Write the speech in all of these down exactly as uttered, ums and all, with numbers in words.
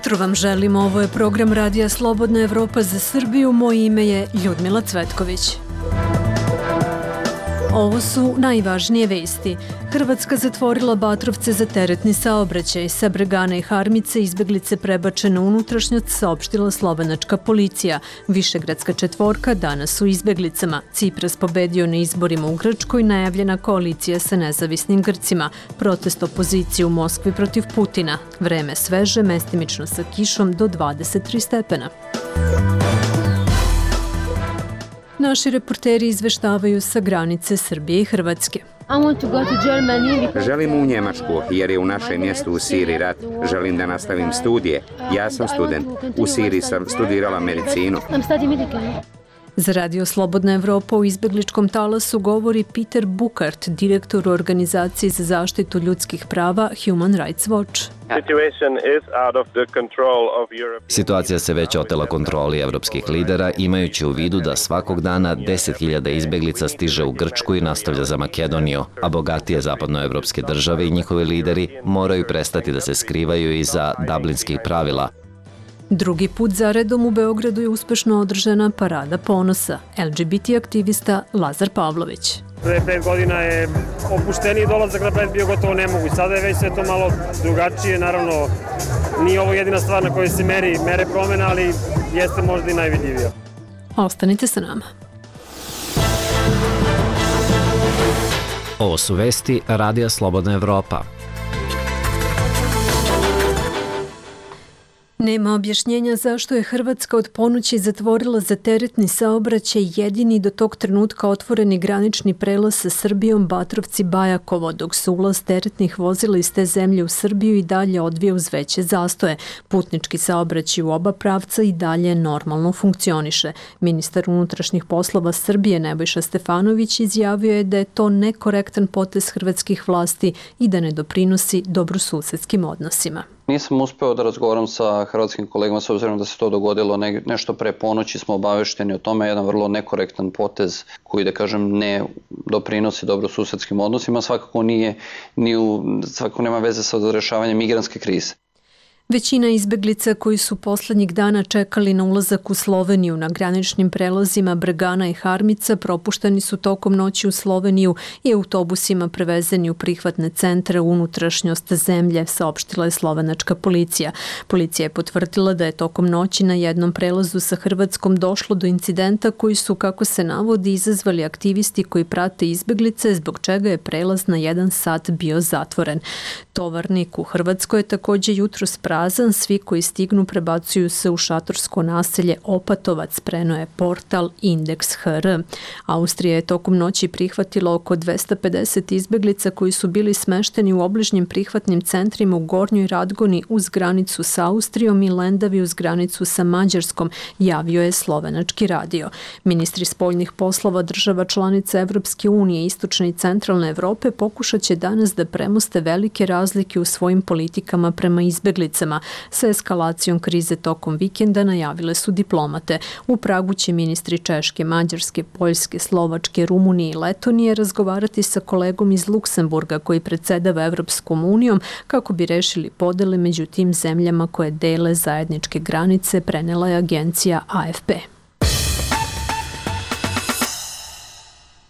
jutro vam želimo, ovo je program Radija Slobodna Evropa za Srbiju, moje ime je Ljudmila Cvetković. Ovo su najvažnije vesti. Hrvatska zatvorila Batrovce za teretni saobraćaj. Sa Bregana i Harmice izbeglice prebačene u unutrašnjost, saopštila slovenačka policija. Višegradska četvorka danas u izbeglicama. Cipras pobedio na izborima u Grčkoj, najavljena koalicija sa nezavisnim Grcima. Protest opozicije u Moskvi protiv Putina. Vreme sveže, mestimično sa kišom do dvadeset tri stepena. Naši reporteri izveštavaju sa granice Srbije i Hrvatske. Želim u Njemačku jer je u našem mjestu u Siriji rat. Želim da nastavim studije. Ja sam student. U Siriji sam studirala medicinu. Za Radio Slobodna Evropa u izbegličkom talasu govori Peter Bukart, direktor u organizaciji za zaštitu ljudskih prava Human Rights Watch. Situacija se već otela kontroli evropskih lidera, imajući u vidu da svakog dana deset hiljada izbeglica stiže u Grčku i nastavlja za Makedoniju, a bogatije zapadnoevropske države i njihovi lideri moraju prestati da se skrivaju iza dublinskih pravila. Drugi put zaredom u Beogradu je uspešno održana Parada ponosa. L G B T aktivista Lazar Pavlović. Pre pet godina je opušteniji dolazak na pred bio gotovo nemoguć. Sada je već sve to malo drugačije. Naravno, nije ovo jedina stvar na kojoj se meri, mere promjena, ali jeste možda i najvidljivija. Ostanite sa nama. Ovo su vesti Radija Slobodna Evropa. Nema objašnjenja zašto je Hrvatska od ponoći zatvorila za teretni saobraćaj jedini do tog trenutka otvoreni granični prelaz sa Srbijom Batrovci-Bajakovo, dok se ulaz teretnih vozila iz te zemlje u Srbiju i dalje odvija uz veće zastoje. Putnički saobraćaj u oba pravca i dalje normalno funkcioniše. Ministar unutrašnjih poslova Srbije Nebojša Stefanović izjavio je da je to nekorektan potez hrvatskih vlasti i da ne doprinosi dobrosusedskim odnosima. Nisam uspeo da razgovaram sa hrvatskim kolegama s obzirom da se to dogodilo ne, nešto pre ponoći, smo obavešteni o tome, jedan vrlo nekorektan potez koji, da kažem, ne doprinosi dobrosusedskim odnosima, svakako nije, ni u, svakako nema veze sa rešavanjem migrantske krize. Većina izbeglica koji su poslednjih dana čekali na ulazak u Sloveniju na graničnim prelazima Bregana i Harmica propušteni su tokom noći u Sloveniju i autobusima prevezeni u prihvatne centre u unutrašnjost zemlje, saopštila je slovenačka policija. Policija je potvrdila da je tokom noći na jednom prelazu sa Hrvatskom došlo do incidenta koji su, kako se navodi, izazvali aktivisti koji prate izbeglice, zbog čega je prelaz na jedan sat bio zatvoren. Tovarnik u Hrvatskoj je također jutros prazan, svi koji stignu prebacuju se u šatorsko naselje Opatovac, preneo je portal Indeks H R. Austrija je tokom noći prihvatila oko dvesta pedeset izbeglica koji su bili smešteni u obližnjim prihvatnim centrima u Gornjoj Radgoni uz granicu sa Austrijom i Lendavi uz granicu sa Mađarskom, javio je slovenački radio. Ministri spoljnih poslova država članica Evropske unije, Istočne i Centralne Evrope pokušat će danas da premoste velike razlike u svojim politikama prema izbeglicama. Sa eskalacijom krize tokom vikenda najavile su diplomate. U Pragu će ministri Češke, Mađarske, Poljske, Slovačke, Rumunije i Letonije razgovarati sa kolegom iz Luksemburga koji predsedava Evropskom unijom kako bi rešili podele među tim zemljama koje dele zajedničke granice, prenela je agencija A F P.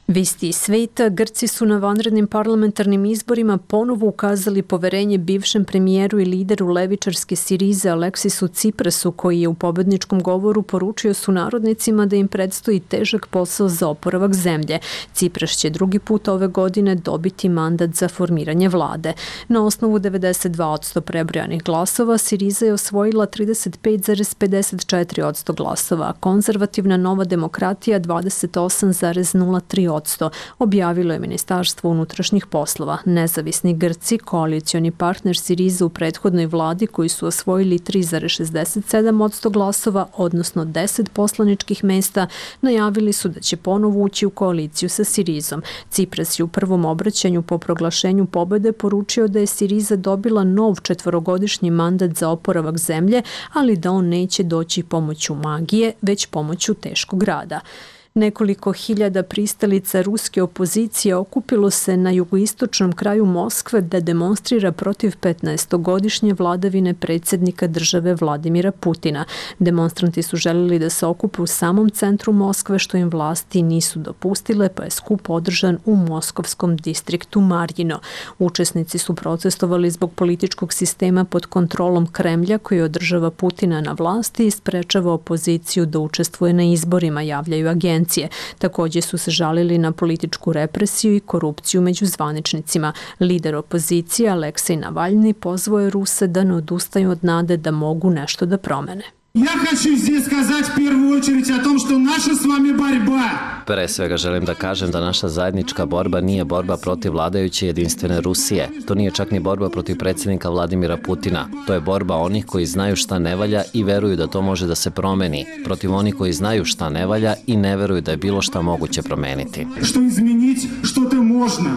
Visti iz sveta, Grci su na vanrednim parlamentarnim izborima ponovo ukazali poverenje bivšem premijeru i lideru levičarske Sirize Aleksisu Ciprasu, koji je u pobedničkom govoru poručio sunarodnicima da im predstoji težak posao za oporavak zemlje. Cipras će drugi put ove godine dobiti mandat za formiranje vlade. Na osnovu devedeset dva posto prebrojanih glasova, Siriza je osvojila trideset pet zarez pedeset četiri posto glasova, a konzervativna Nova demokratija dvadeset osam zarez nula tri posto. Objavilo je Ministarstvo unutrašnjih poslova. Nezavisni Grci, koalicioni partner Siriza u prethodnoj vladi koji su osvojili tri zarez šezdeset sedam posto glasova, odnosno deset poslaničkih mesta, najavili su da će ponovo ući u koaliciju sa Sirizom. Cipras je u prvom obraćanju po proglašenju pobede poručio da je Siriza dobila nov četvorogodišnji mandat za oporavak zemlje, ali da on neće doći pomoću magije, već pomoću teškog rada. Nekoliko hiljada pristalica ruske opozicije okupilo se na jugoistočnom kraju Moskve da demonstrira protiv petnaestogodišnje vladavine predsjednika države Vladimira Putina. Demonstranti su željeli da se okupe u samom centru Moskve, što im vlasti nisu dopustile, pa je skup održan u moskovskom distriktu Marjino. Učesnici su protestovali zbog političkog sistema pod kontrolom Kremlja koji održava Putina na vlasti i sprečava opoziciju da učestvuje na izborima, javljaju agencije. Također su se žalili na političku represiju i korupciju među zvaničnicima. Lider opozicije Aleksej Navalni pozvao je Ruse da ne odustaju od nade da mogu nešto da promene. Ja хочу здесь сказать в первую очередь о том, что наша с вами борьба. Pre svega želim da kažem da naša zajednička borba nije borba protiv vladajuće jedinstvene Rusije. To nije čak ni borba protiv predsjednika Vladimira Putina. To je borba onih koji znaju šta ne valja i veruju da to može da se promeni. Protiv onih koji znaju šta ne valja i ne veruju da je bilo šta moguće promeniti. Što izmeniti, što to možno.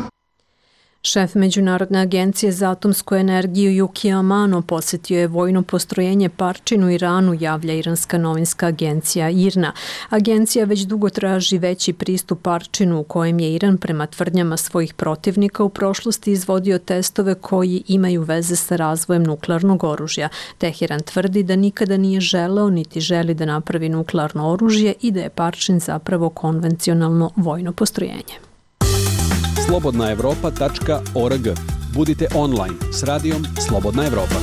Šef Međunarodne agencije za atomsku energiju Yukio Amano posjetio je vojno postrojenje Parčin u Iranu, javlja iranska novinska agencija I R N A. Agencija već dugo traži veći pristup Parčinu u kojem je Iran prema tvrdnjama svojih protivnika u prošlosti izvodio testove koji imaju veze sa razvojem nuklearnog oružja. Teheran tvrdi da nikada nije želeo niti želi da napravi nuklearno oružje i da je Parčin zapravo konvencionalno vojno postrojenje. slobodna evropa tačka org. Budite online s radijom Slobodna Evropa.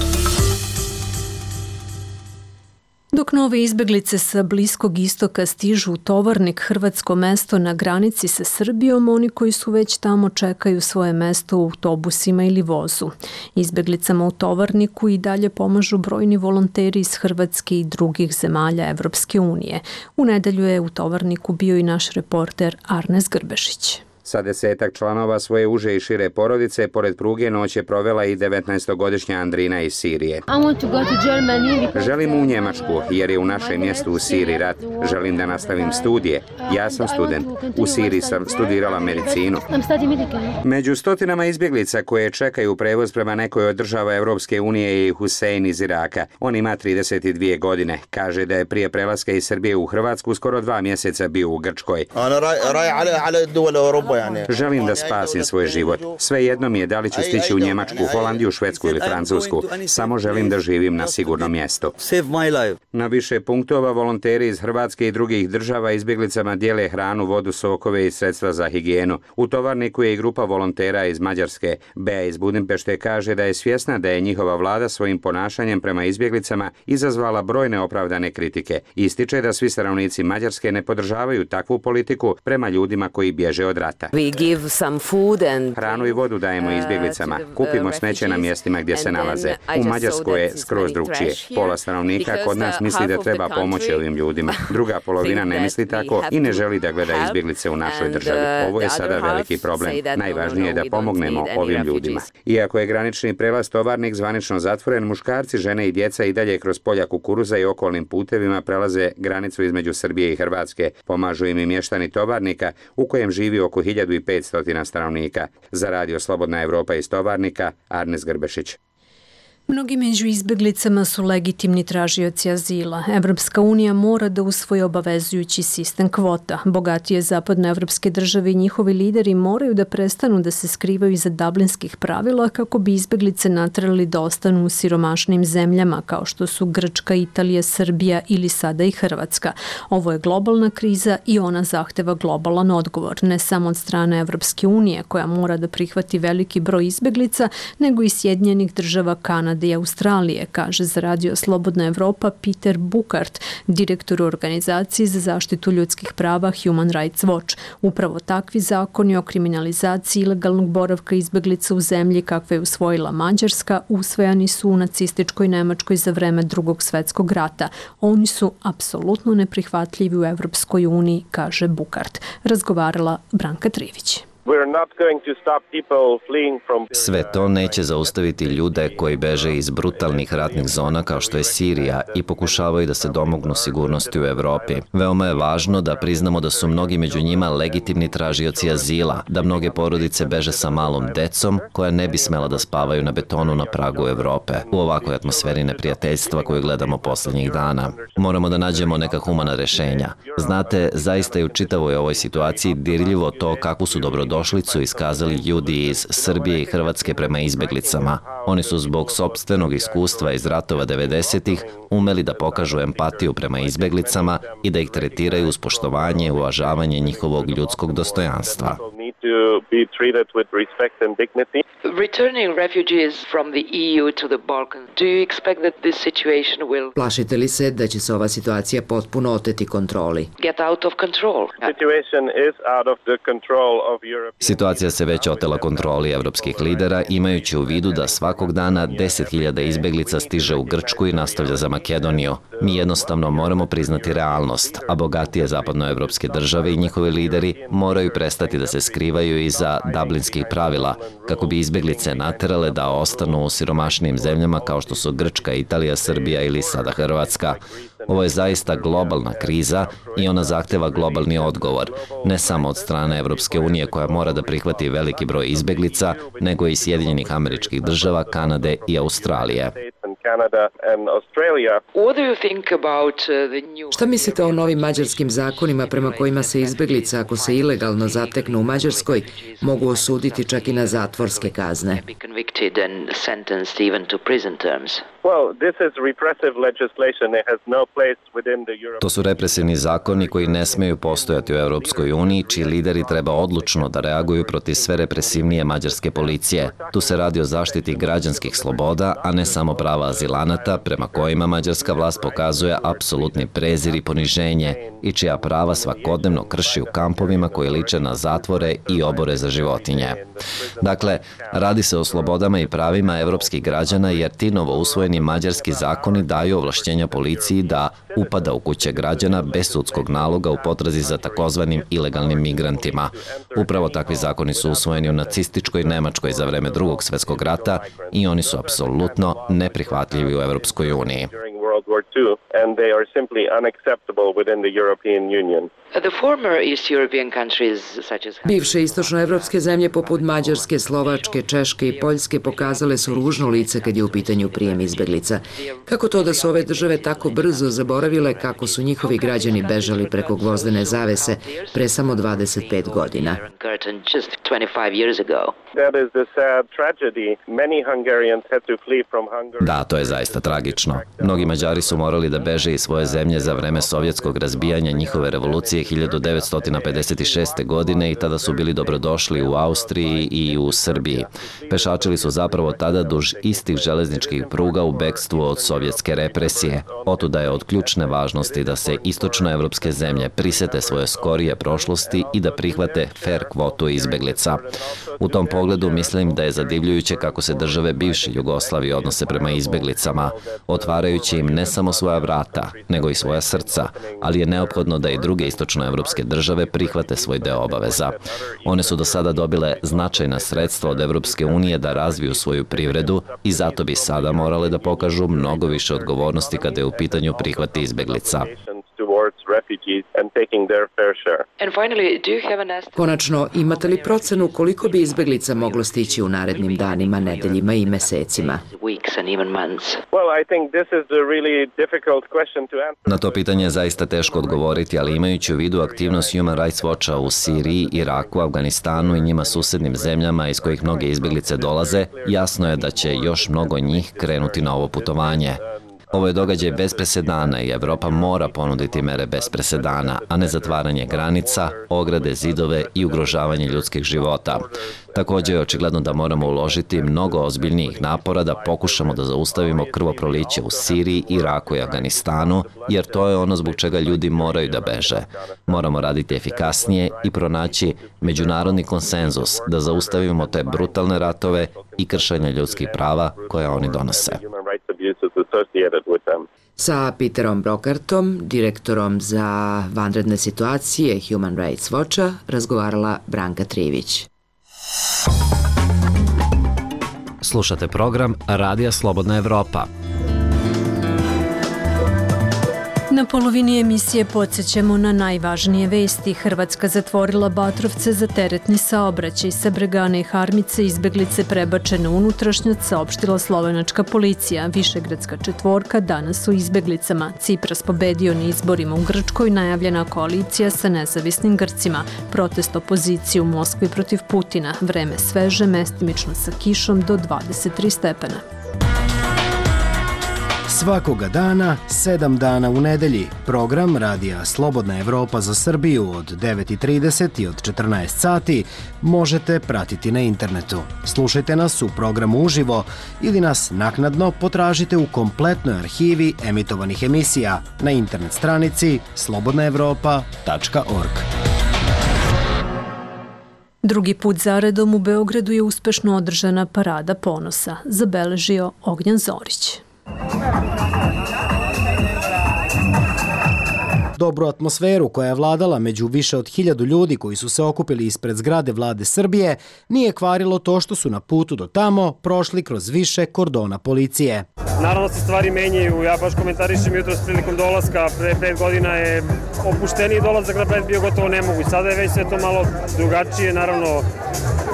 Dok nove izbeglice sa Bliskog istoka stižu u Tovarnik, hrvatsko mesto na granici sa Srbijom, oni koji su već tamo čekaju svoje mesto u autobusima ili vozu. Izbeglicama u Tovarniku i dalje pomažu brojni volonteri iz Hrvatske i drugih zemalja Evropske unije. U nedelju je u Tovarniku bio i naš reporter Arnes Grbešić. Sa desetak članova svoje uže i šire porodice, pored pruge noć je provela i devetnaestogodišnja Andrina iz Sirije. Želim u Njemačku, jer je u našem mjestu u Siriji rat. Želim da nastavim studije. Ja sam student. U Siriji sam studirala medicinu. Među stotinama izbjeglica koje čekaju prevoz prema nekoj od država Evropske unije je Husein iz Iraka. On ima trideset dvije godine. Kaže da je prije prelaska iz Srbije u Hrvatsku skoro dva mjeseca bio u Grčkoj. Želim da spasim svoj život. Svejedno mi je da li ću stići u Njemačku, Holandiju, Švedsku ili Francusku. Samo želim da živim na sigurnom mjestu. Na više punktova volonteri iz Hrvatske i drugih država izbjeglicama dijele hranu, vodu, sokove i sredstva za higijenu. U Tovarniku je i grupa volontera iz Mađarske. Bea iz Budimpešte kaže da je svjesna da je njihova vlada svojim ponašanjem prema izbjeglicama izazvala brojne opravdane kritike. Ističe da svi stanovnici Mađarske ne podržavaju takvu politiku prema ljudima koji bježe od rata. Hranu i vodu dajemo izbjeglicama. Kupimo smeće na mjestima gdje se nalaze. U Mađarskoj je skroz drugčije. Pola stanovnika kod nas misli da treba pomoći ovim ljudima. Druga polovina ne misli tako i ne želi da gleda izbjeglice u našoj državi. Ovo je sada veliki problem. Najvažnije je da pomognemo ovim ljudima. Iako je granični prelaz Tovarnik zvanično zatvoren, muškarci, žene i djeca i dalje kroz polja kukuruza i okolnim putevima prelaze granicu između Srbije i Hrvatske. Pomažu im i mještani Tovarnika, u kojem živi oko hiljadu petsto stanovnika. Za radio Slobodna Evropa iz Tovarnika, Arnes Grbešić. Mnogi među izbeglicama su legitimni tražioci azila. Evropska unija mora da usvoji obavezujući sistem kvota. Bogatije zapadnoevropske države i njihovi lideri moraju da prestanu da se skrivaju iza dublinskih pravila kako bi izbeglice naterali da ostanu u siromašnim zemljama kao što su Grčka, Italija, Srbija ili sada i Hrvatska. Ovo je globalna kriza i ona zahteva globalan odgovor, ne samo od strane Evropske unije koja mora da prihvati veliki broj izbeglica, nego i Sjedinjenih država, Kanade i Australije, kaže za radio Slobodna Evropa Peter Bukart, direktor organizacije za zaštitu ljudskih prava Human Rights Watch. Upravo takvi zakoni o kriminalizaciji ilegalnog boravka izbeglica u zemlji kakve je usvojila Mađarska usvojani su u nacističkoj Nemačkoj za vreme Drugog svjetskog rata. Oni su apsolutno neprihvatljivi u Evropskoj uniji, kaže Bukart. Razgovarala Branka Trivić. Sve to neće zaustaviti ljude koji beže iz brutalnih ratnih zona kao što je Sirija i pokušavaju da se domognu sigurnosti u Evropi. Veoma je važno da priznamo da su mnogi među njima legitimni tražioci azila, da mnoge porodice beže sa malom decom koja ne bi smela da spavaju na betonu na pragu Evrope u ovakvoj atmosferi neprijateljstva koju gledamo poslednjih dana. Moramo da nađemo neka humana rešenja. Znate, zaista je u čitavoj ovoj situaciji dirljivo to kakvu su dobrodošlicu iskazali ljudi iz Srbije i Hrvatske prema izbeglicama. Oni su zbog sopstvenog iskustva iz ratova devedesetih umeli da pokažu empatiju prema izbeglicama i da ih tretiraju uz poštovanje i uvažavanje njihovog ljudskog dostojanstva. Returning refugees from the E U to the Balkans, do you expect that this situation will Plašite li se da će se ova situacija potpuno oteti kontroli? Get out of control. Situacija se već otela kontroli evropskih lidera, imajući u vidu da svakog dana deset hiljada izbeglica stiže u Grčku i nastavlja za Makedoniju. Mi jednostavno moramo priznati realnost, a bogatije zapadnoevropske države i njihovi lideri moraju prestati da se skrivaju iza dublinskih pravila, kako bi izbeglice naterale da ostanu u siromašnijim zemljama kao što su Grčka, Italija, Srbija ili sada Hrvatska. Ovo je zaista globalna kriza i ona zahteva globalni odgovor, ne samo od strane Evropske unije koja mora da prihvati veliki broj izbeglica, nego i Sjedinjenih Američkih Država, Kanade i Australije. Šta mislite o novim mađarskim zakonima prema kojima se izbeglice, ako se ilegalno zateknu u Mađarskoj, mogu osuditi čak i na zatvorske kazne? To su represivni zakoni koji ne smeju postojati u Europskoj uniji, čiji lideri treba odlučno da reaguju protiv sve represivnije mađarske policije. Tu se radi o zaštiti građanskih sloboda, a ne samo prava azilanata, prema kojima mađarska vlast pokazuje apsolutni prezir i poniženje i čija prava svakodnevno krši u kampovima koji liče na zatvore i obore za životinje. Dakle, radi se o slobodama i pravima evropskih građana, jer ti novo usvojeni mađarski zakoni daju ovlašćenja policiji da upada u kuće građana bez sudskog naloga u potrazi za takozvanim ilegalnim migrantima. Upravo takvi zakoni su usvojeni u nacističkoj Nemačkoj za vreme Drugog svetskog rata i oni su apsolutno neprihvatljivi u Evropskoj uniji. Bivše istočnoevropske zemlje poput Mađarske, Slovačke, Češke i Poljske pokazale su ružno lice kad je u pitanju prijem izbeglica. Kako to da su ove države tako brzo zaboravile kako su njihovi građani bežali preko gvozdene zavese pre samo dvadeset pet godina? Da, to je zaista tragično. Mnogi Mađari su morali da beže iz svoje zemlje za vreme sovjetskog razbijanja njihove revolucije hiljadu devetsto pedeset šeste. godine i tada su bili dobrodošli u Austriji i u Srbiji. Pešačili su zapravo tada duž istih železničkih pruga u bekstvu od sovjetske represije. Otuda je od ključne važnosti da se istočnoevropske zemlje prisete svoje skorije prošlosti i da prihvate fer kvotu izbeglica. U tom pogledu mislim da je zadivljujuće kako se države bivše Jugoslavije odnose prema izbeglicama, otvarajući im ne samo svoja vrata, nego i svoja srca, ali je neophodno da i druge istočnoevropske države prihvate svoj deo obaveza. One su do sada dobile značajna sredstva od Evropske unije da razviju svoju privredu i zato bi sada morale da pokažu mnogo više odgovornosti kada je u pitanju prihvati izbeglica. Konačno, imate li procenu koliko bi izbeglica moglo stići u narednim danima, nedeljima i mesecima? Na to pitanje je zaista teško odgovoriti, ali imajući u vidu aktivnost Human Rights Watcha u Siriji, Iraku, Afganistanu i njima susednim zemljama iz kojih mnoge izbeglice dolaze, jasno je da će još mnogo njih krenuti na ovo putovanje. Ovo je događaj bez presedana i Evropa mora ponuditi mere bez presedana, a ne zatvaranje granica, ograde, zidove i ugrožavanje ljudskih života. Također je očigledno da moramo uložiti mnogo ozbiljnijih napora da pokušamo da zaustavimo krvoproliće u Siriji, Iraku i Afganistanu, jer to je ono zbog čega ljudi moraju da beže. Moramo raditi efikasnije i pronaći međunarodni konsenzus da zaustavimo te brutalne ratove i kršenje ljudskih prava koje oni donose. Sa Peterom Brokartom, direktorom za vanredne situacije Human Rights Watcha, razgovarala Branka Trivić. Slušate program Radija Slobodna Evropa. Na polovini emisije podsjećamo na najvažnije vesti. Hrvatska zatvorila Batrovce za teretni saobraćaj. Sa Bregane i Harmice izbeglice prebačene u unutrašnjost, saopštila slovenačka policija. Višegradska četvorka danas u izbeglicama. Cipras pobedio na izborima u Grčkoj, najavljena koalicija sa nezavisnim Grcima. Protest opozicije u Moskvi protiv Putina. Vreme sveže, mestimično sa kišom do dvadeset tri stepena. Svakoga dana, sedam dana u nedelji, program Radija Slobodna Evropa za Srbiju od devet i trideset i od četrnaest sati možete pratiti na internetu. Slušajte nas u programu uživo ili nas naknadno potražite u kompletnoj arhivi emitovanih emisija na internet stranici slobodna evropa tačka org. Drugi put zaredom u Beogradu je uspešno održana Parada ponosa, zabeležio Ognjan Zorić. Dobru atmosferu koja je vladala među više od hiljadu ljudi koji su se okupili ispred zgrade vlade Srbije nije kvarilo to što su na putu do tamo prošli kroz više kordona policije. Naravno se stvari menjaju, ja baš komentarišem jutros prilikom dolaska, pre pet godina je opušteniji dolazak na Bled bio gotovo nemoguć, sada je već sve to malo drugačije, naravno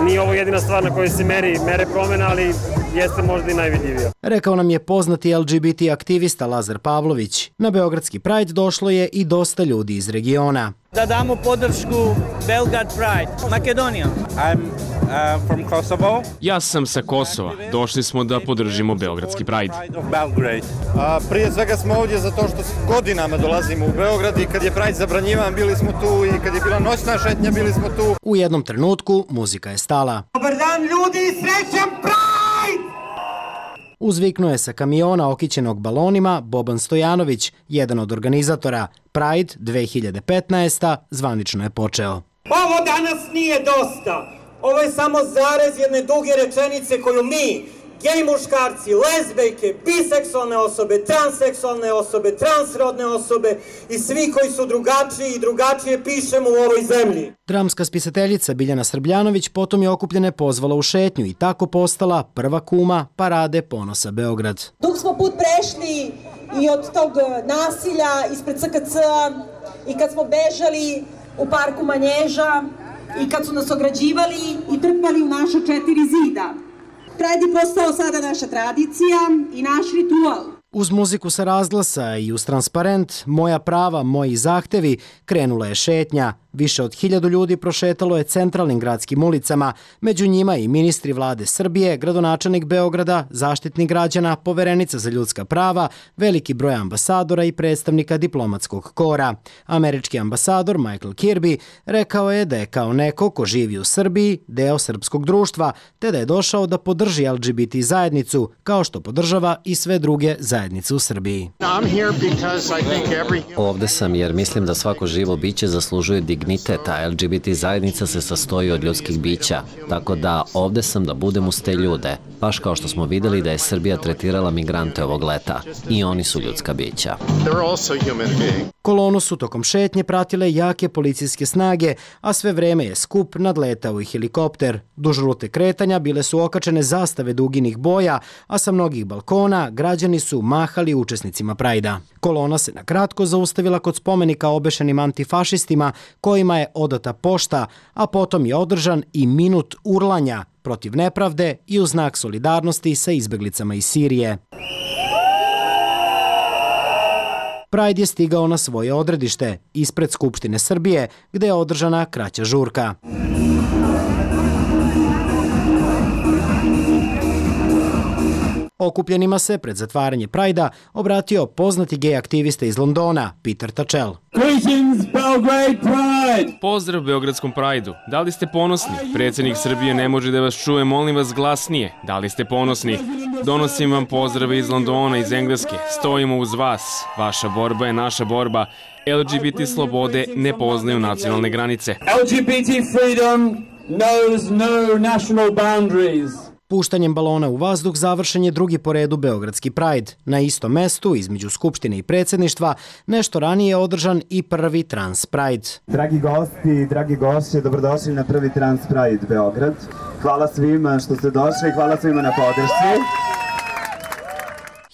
nije ovo jedina stvar na kojoj se meri, mere promena, ali jeste možda i najvidljivija. Rekao nam je poznati L G B T aktivista Lazar Pavlović. Na Beogradski Pride došlo je i dosta ljudi iz regiona. Da damo podršku Belgrade Pride, Makedonija. I'm uh, from Kosovo. Ja sam sa Kosova. Došli smo da podržimo Beogradski Pride. A, prije svega smo ovdje zato što godinama dolazimo u Beograd i kad je Pride zabranjivan bili smo tu i kad je bila noćna šetnja bili smo tu. U jednom trenutku muzika je stala. Dobar dan ljudi i srećan Pride! Uzviknuo je sa kamiona okićenog balonima Boban Stojanović, jedan od organizatora. Pride dve hiljade petnaeste. zvanično je počeo. Ovo danas nije dosta. Ovo je samo zarez jedne duge rečenice koju mi, gej muškarci, lezbejke, biseksualne osobe, transseksualne osobe, transrodne osobe i svi koji su drugačiji i drugačije pišemo u ovoj zemlji. Dramska spisateljica Biljana Srbljanović potom je okupljene pozvala u šetnju i tako postala prva kuma Parade ponosa Beograd. Dug smo put prešli i od tog nasilja ispred C K C-a i kad smo bežali u parku Manježa i kad su nas ograđivali i trpali u naša četiri zida. Pride je postao sada naša tradicija i naš ritual. Uz muziku sa razglasa i uz transparent Moja prava, moji zahtevi krenula je šetnja. Više od hiljadu ljudi prošetalo je centralnim gradskim ulicama, među njima i ministri vlade Srbije, gradonačelnik Beograda, zaštitnik građana, poverenica za ljudska prava, veliki broj ambasadora i predstavnika diplomatskog kora. Američki ambasador Michael Kirby rekao je da je kao neko ko živi u Srbiji deo srpskog društva, te da je došao da podrži L G B T zajednicu, kao što podržava i sve druge zajednice u Srbiji. Ovde sam jer mislim da svako živo biće zaslužuje dignitet, a L G B T zajednica se sastoji od ljudskih bića, tako da ovde sam da budem uz te ljude, baš kao što smo videli da je Srbija tretirala migrante ovog leta. I oni su ljudska bića. Kolonu su tokom šetnje pratile jake policijske snage, a sve vreme je skup nadletao i helikopter. Duž rute kretanja bile su okačene zastave duginih boja, a sa mnogih balkona građani su mahali učesnicima Prajda. Kolona se na kratko zaustavila kod spomenika obešenim antifašistima kojima je odata pošta, a potom je održan i minut urlanja protiv nepravde i u znak solidarnosti sa izbeglicama iz Sirije. Pride je stigao na svoje odredište, ispred Skupštine Srbije, gde je održana kraća žurka. Okupljenima se pred zatvaranje Prajda obratio poznati gej aktivista iz Londona, Peter Tatchell. Pozdrav Beogradskom Prajdu. Da li ste ponosni? Predsjednik Srbije ne može da vas čuje, molim vas glasnije. Da li ste ponosni? Donosim vam pozdrave iz Londona, iz Engleske. Stojimo uz vas. Vaša borba je naša borba. L G B T slobode ne poznaju nacionalne granice. L G B T freedom knows no national boundaries. Puštanjem balona u vazduh završen je drugi po redu Beogradski Pride. Na istom mestu, između Skupštine i predsjedništva, nešto ranije je održan i prvi Trans Pride. Dragi gosti i dragi gošće, dobrodošli na prvi Trans Pride Beograd. Hvala svima što ste došli, hvala svima na podršci.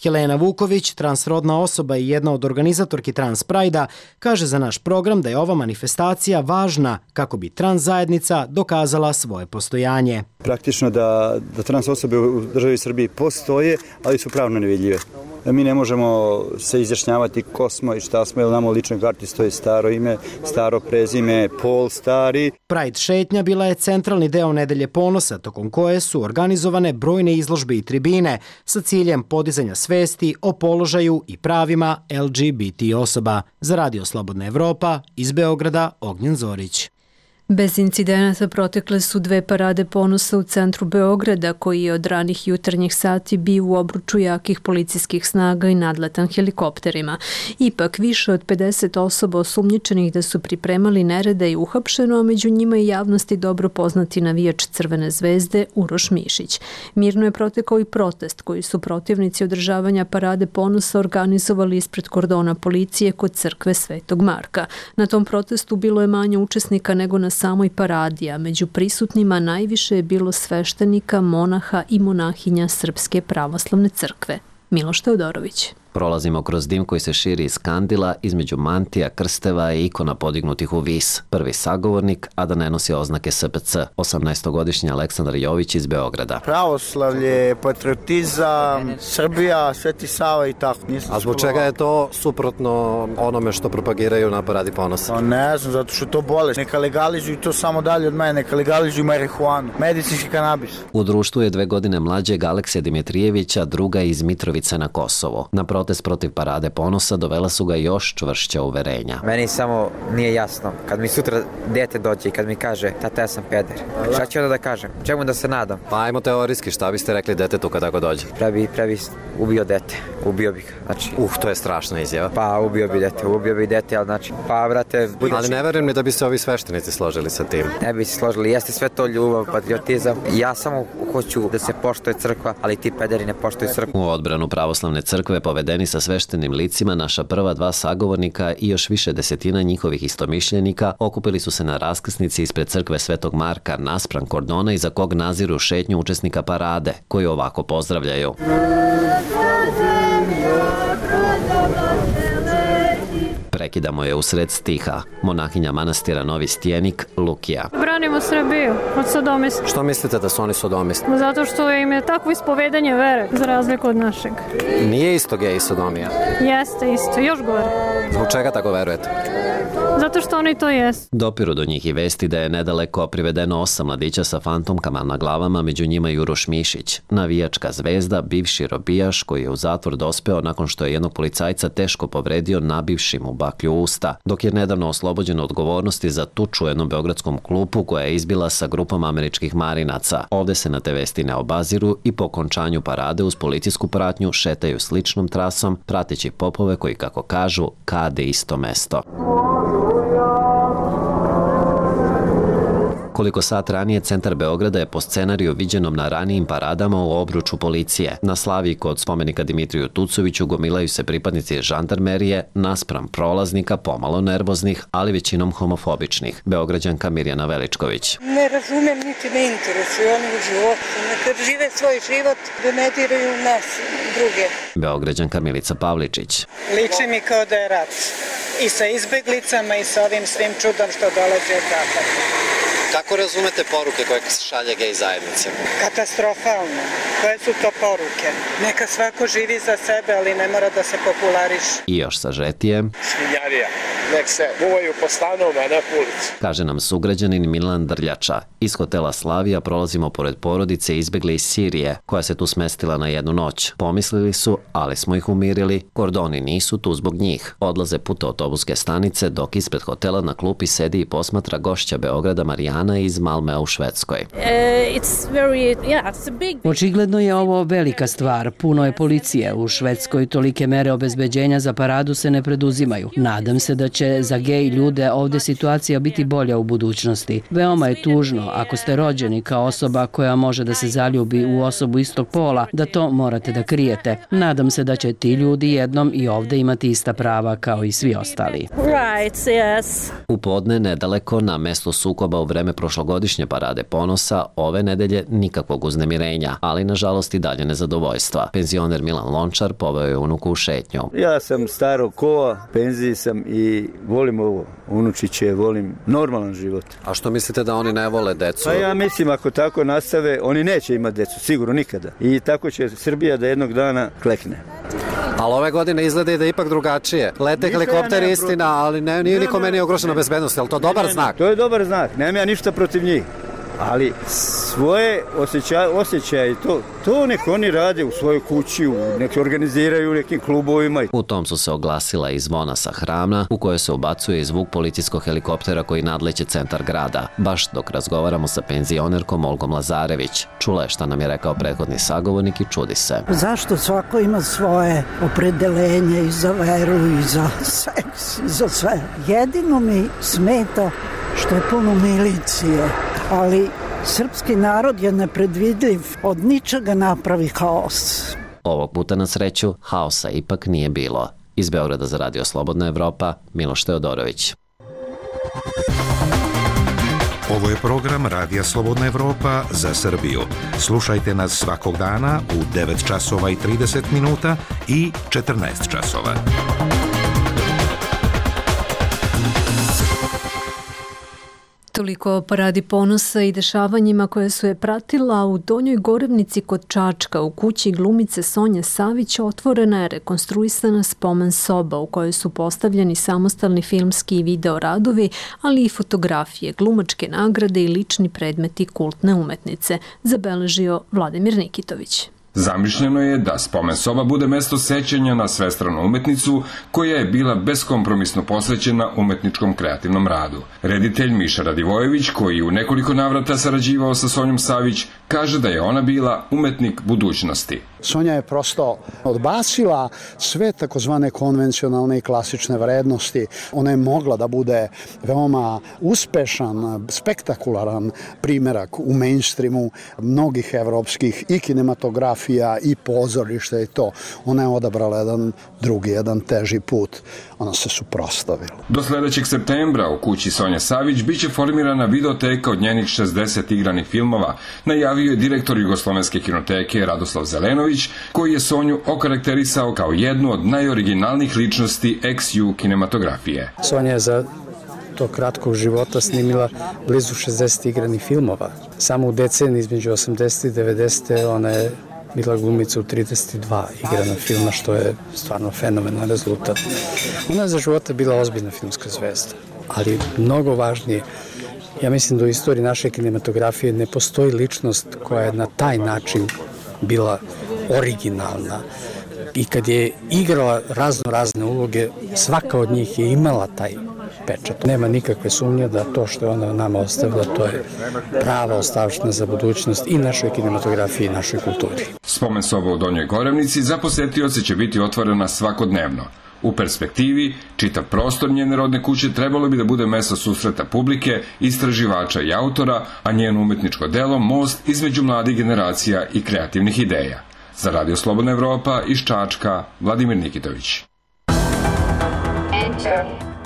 Helena Vuković, transrodna osoba i jedna od organizatorki Trans Prajda, kaže za naš program da je ova manifestacija važna kako bi trans zajednica dokazala svoje postojanje. Praktično da, da trans osobe u državi Srbiji postoje, ali su pravno nevidljive. Mi ne možemo se izjašnjavati ko smo i šta smo, jer nam u ličnoj karti stoji staro ime, staro prezime, pol stari. Pride šetnja bila je centralni deo Nedelje ponosa, tokom koje su organizovane brojne izložbe i tribine sa ciljem podizanja svesti o položaju i pravima L G B T osoba. Za Radio Slobodna Evropa, iz Beograda, Ognjen Zorić. Bez incidenata protekle su dve parade ponosa u centru Beograda, koji je od ranih jutarnjih sati bio u obruču jakih policijskih snaga i nadletan helikopterima. Ipak, više od pedeset osoba osumnjičenih da su pripremali nerede i uhapšeno, a među njima i javnosti dobro poznati navijač Crvene zvezde Uroš Mišić. Mirno je protekao i protest koji su protivnici održavanja parade ponosa organizovali ispred kordona policije kod crkve Svetog Marka. Na tom protestu bilo je manje učesnika nego na samoj paradi, a među prisutnima najviše je bilo sveštenika, monaha i monahinja Srpske pravoslavne crkve. Miloš Teodorović. Prolazimo kroz dim koji se širi iz kandila, između mantija, krsteva i ikona podignutih u vis. Prvi sagovornik, a da ne nosi oznake S P C, osamnaestogodišnji Aleksandar Jović iz Beograda. Pravoslavlje, patriotizam, Srbija, Sveti Sava i tako. A zbog čega je to suprotno onome što propagiraju na paradi ponosa? O, ne znam, zato što to bolest. Neka legalizuju to samo dalje od mene, neka legalizuju marihuanu, medicinski kanabis. U društvu je dve godine mlađeg Aleksija Dimitrijevića, druga iz Mitrovice na Kosovo. Na protest protiv parade ponosa dovela su ga još čvršća uverenja. Meni samo nije jasno, kad mi sutra dete dođe i kad mi kaže tata ja sam peder, šta ću onda da kažem, čemu da se nadam? Pa ajmo teorijski, šta biste rekli detetu kad tako dođe? Prebi, prebi ubio dete, ubio bih ga, znači. Uh, to je strašna izjava. Pa ubio bi dete, ubio bi dete, ali znači, pa brate... Budući... Ali ne verujem ni da bi se ovi sveštenici složili sa tim. Ne bi se složili, jeste sve to ljubav, patriotizam, ja samo hoću da se poštuje crkva, ali ti pederi ne poštuju crkvu. U odbranu pravoslavne crkve povedeni sa sveštenim licima naša prva dva sagovornika i još više desetina njihovih istomišljenika okupili su se na raskrsnici ispred crkve Svetog Marka naspram kordona iza kog naziru šetnju učesnika parade, koji ovako pozdravljaju. Prekidamo je usred stiha. Monahinja manastira Novi Stjenik, Lukija. Branimo Srbiju od sodomista. Što mislite da su oni sodomisti? Zato što im je takvo ispovedanje vere, za razliku od našeg. Nije isto gej i sodomija? Jeste isto, još gore. Zbog čega tako verujete? Zato što oni to jesu. Dopiru do njih i vesti da je nedaleko privedeno osam mladića sa fantomkama na glavama, među njima i Uroš Mišić, navijačka zvezda, bivši robijaš koji je u zatvor dospeo nakon što je jednog policajca teško povredio nabivši mu baklju usta, dok je nedavno oslobođen odgovornosti za tuču u jednom beogradskom klubu koja je izbila sa grupom američkih marinaca. Ovde se na te vesti ne obaziru i po okončanju parade uz policijsku pratnju šetaju sličnom trasom, prateći popove koji, kako kažu, kade isto mesto. Koliko sat ranije centar Beograda je po scenariju viđenom na ranijim paradama u obruču policije. Na Slaviji kod spomenika Dimitriju Tucoviću gomilaju se pripadnici žandarmerije naspram prolaznika pomalo nervoznih, ali većinom homofobičnih. Beograđanka Mirjana Veličković. Ne razumem, niti ne interesuju oni u životu. Neka žive svoj život, da ne diraju nas druge. Beograđanka Milica Pavličić. Liči mi kao da je rat. I sa izbeglicama i sa ovim svim čudom što dolazi od zapada. Kako razumete poruke koje se šalje gej zajednice? Katastrofalno. Koje su to poruke? Neka svako živi za sebe, ali ne mora da se populariše. I još sažetije. Svinjarija. Nek se buvaju po stanovima, ne po ulici. Kaže nam sugrađanin Milan Drljača. Iz hotela Slavija prolazimo pored porodice izbegle iz Sirije, koja se tu smestila na jednu noć. Pomislili su, ali smo ih umirili. Kordoni nisu tu zbog njih. Odlaze put autobuske stanice, dok ispred hotela na klupi sedi i posmatra gošća Beograda Marijana iz Malmea u Švedskoj. Očigledno je ovo velika stvar. Puno je policije. U Švedskoj tolike mere obezbeđenja za paradu se ne preduzimaju. Nadam se da će će za gej ljude ovde situacija biti bolja u budućnosti. Veoma je tužno ako ste rođeni kao osoba koja može da se zaljubi u osobu istog pola, da to morate da krijete. Nadam se da će ti ljudi jednom i ovde imati ista prava kao i svi ostali. Right, yes. U podne nedaleko na mesto sukoba u vreme prošlogodišnje parade ponosa, ove nedelje nikakvog uznemirenja, ali nažalost i dalje nezadovoljstva. Penzioner Milan Lončar poveo je unuku u šetnju. Ja sam starog kova, penziji sam i volim ovo, unučiće, volim normalan život. A što mislite da oni ne vole decu? Pa ja mislim ako tako nastave, oni neće imati decu, sigurno nikada. I tako će Srbija da jednog dana klekne. Ali ove godine izgleda i da je ipak drugačije. Lete helikopteri ja istina, ali ne, nije nikome nije ugrožena bezbednost. Je li to dobar ne, znak? To je dobar znak, nemam ja ništa protiv njih. Ali svoje osjećaje, osjećaje to, to nek oni rade u svojoj kući, nek organiziraju u nekim klubovima. U tom su se oglasila i zvona sa Hramna, u kojoj se ubacuje i zvuk policijskog helikoptera koji nadleće centar grada. Baš dok razgovaramo sa penzionerkom Olgom Lazarević. Čula je šta nam je rekao prethodni sagovornik i čudi se. Zašto svako ima svoje opredelenje i za veru i za seks i za sve. Jedino mi smeta što je puno milicije, ali srpski narod je nepredvidljiv, od ničega napravi haos. Ovog puta na sreću haosa ipak nije bilo. Iz Beograda za Radio Slobodna Evropa, Miloš Teodorović. Ovo je program Radija Slobodna Evropa za Srbiju. Slušajte nas svakog dana u devet časova i trideset minuta i četrnaest časova. Toliko o paradi ponosa i dešavanjima koje su je pratila. U Donjoj Gorevnici kod Čačka u kući glumice Sonje Savić otvorena je rekonstruisana spomen soba u kojoj su postavljeni samostalni filmski i video radovi, ali i fotografije, glumačke nagrade i lični predmeti kultne umetnice, zabeležio Vladimir Nikitović. Zamišljeno je da spomen soba bude mesto sećanja na svestranu umetnicu koja je bila beskompromisno posvećena umetničkom kreativnom radu. Reditelj Miša Radivojević, koji u nekoliko navrata sarađivao sa Sonjom Savić, kaže da je ona bila umetnik budućnosti. Sonja je prosto odbacila sve takozvane konvencionalne i klasične vrednosti. Ona je mogla da bude veoma uspešan, spektakularan primerak u mainstreamu mnogih evropskih i kinematografija i pozorišta i to. Ona je odabrala jedan drugi, jedan teži put. Ona se suprotstavila. Do sledećeg septembra u kući Sonje Savić biće formirana videoteka od njenih šezdeset igranih filmova, najavio je direktor Jugoslovenske kinoteke Radoslav Zelenović, koji je Sonju okarakterisao kao jednu od najoriginalnijih ličnosti ex-ju kinematografije. Sonja je za tog kratkog života snimila blizu šezdeset igranih filmova. Samo u deceniji između osamdesete i devedesete ona je bila glumica u trideset dva igrana filma, što je stvarno fenomenalan rezultat. Ona je za života bila ozbiljna filmska zvezda, ali mnogo važnije, ja mislim da u istoriji naše kinematografije ne postoji ličnost koja je na taj način bila originalna. I kad je igrala razno razne uloge, svaka od njih je imala taj pečat. Nema nikakve sumnje da to što je ona nama ostavila, to je prava ostavština za budućnost i našoj kinematografiji i našoj kulturi. Spomen soba u Donjoj Gorevnici za posetioce će biti otvorena svakodnevno. U perspektivi, čitav prostor njene rodne kuće trebalo bi da bude mesto susreta publike, istraživača i autora, a njeno umetničko delo most između mladih generacija i kreativnih ideja. Za Radio Slobodna Evropa iz Čačka, Vladimir Nikitović.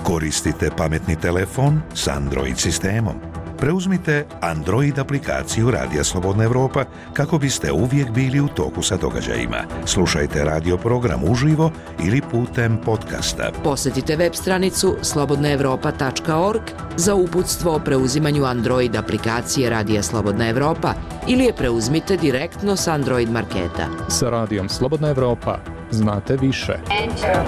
Koristite pametni telefon s Android sistemom. Preuzmite Android aplikaciju Radija Slobodna Evropa kako biste uvijek bili u toku sa događajima. Slušajte radio program uživo ili putem podcasta. Posetite web stranicu slobodna evropa tačka org za uputstvo o preuzimanju Android aplikacije Radija Slobodna Evropa ili je preuzmite direktno s Android marketa. Sa Radijom Slobodna Evropa znate više. Enter.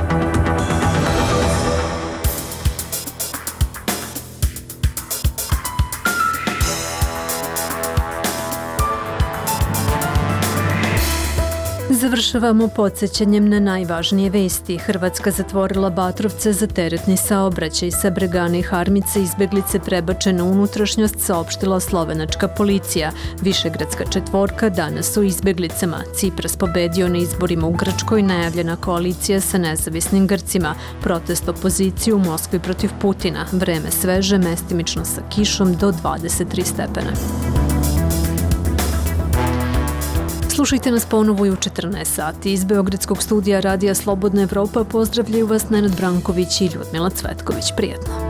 Završavamo podsjećanjem na najvažnije vesti. Hrvatska zatvorila Batrovce za teretni saobraćaj. Sa Bregane i Harmice izbeglice prebačene u unutrašnjost, saopštila slovenačka policija. Višegradska četvorka danas u izbeglicama. Cipras pobedio na izborima u Grčkoj, najavljena koalicija sa nezavisnim Grcima. Protest opozicije u Moskvi protiv Putina. Vreme sveže, mestimično sa kišom do dvadeset tri stepena. Slušajte nas ponovo i u četrnaest sati. Iz Beogradskog studija Radija Slobodna Evropa pozdravljaju vas Nenad Branković i Ljudmila Cvetković. Prijetno.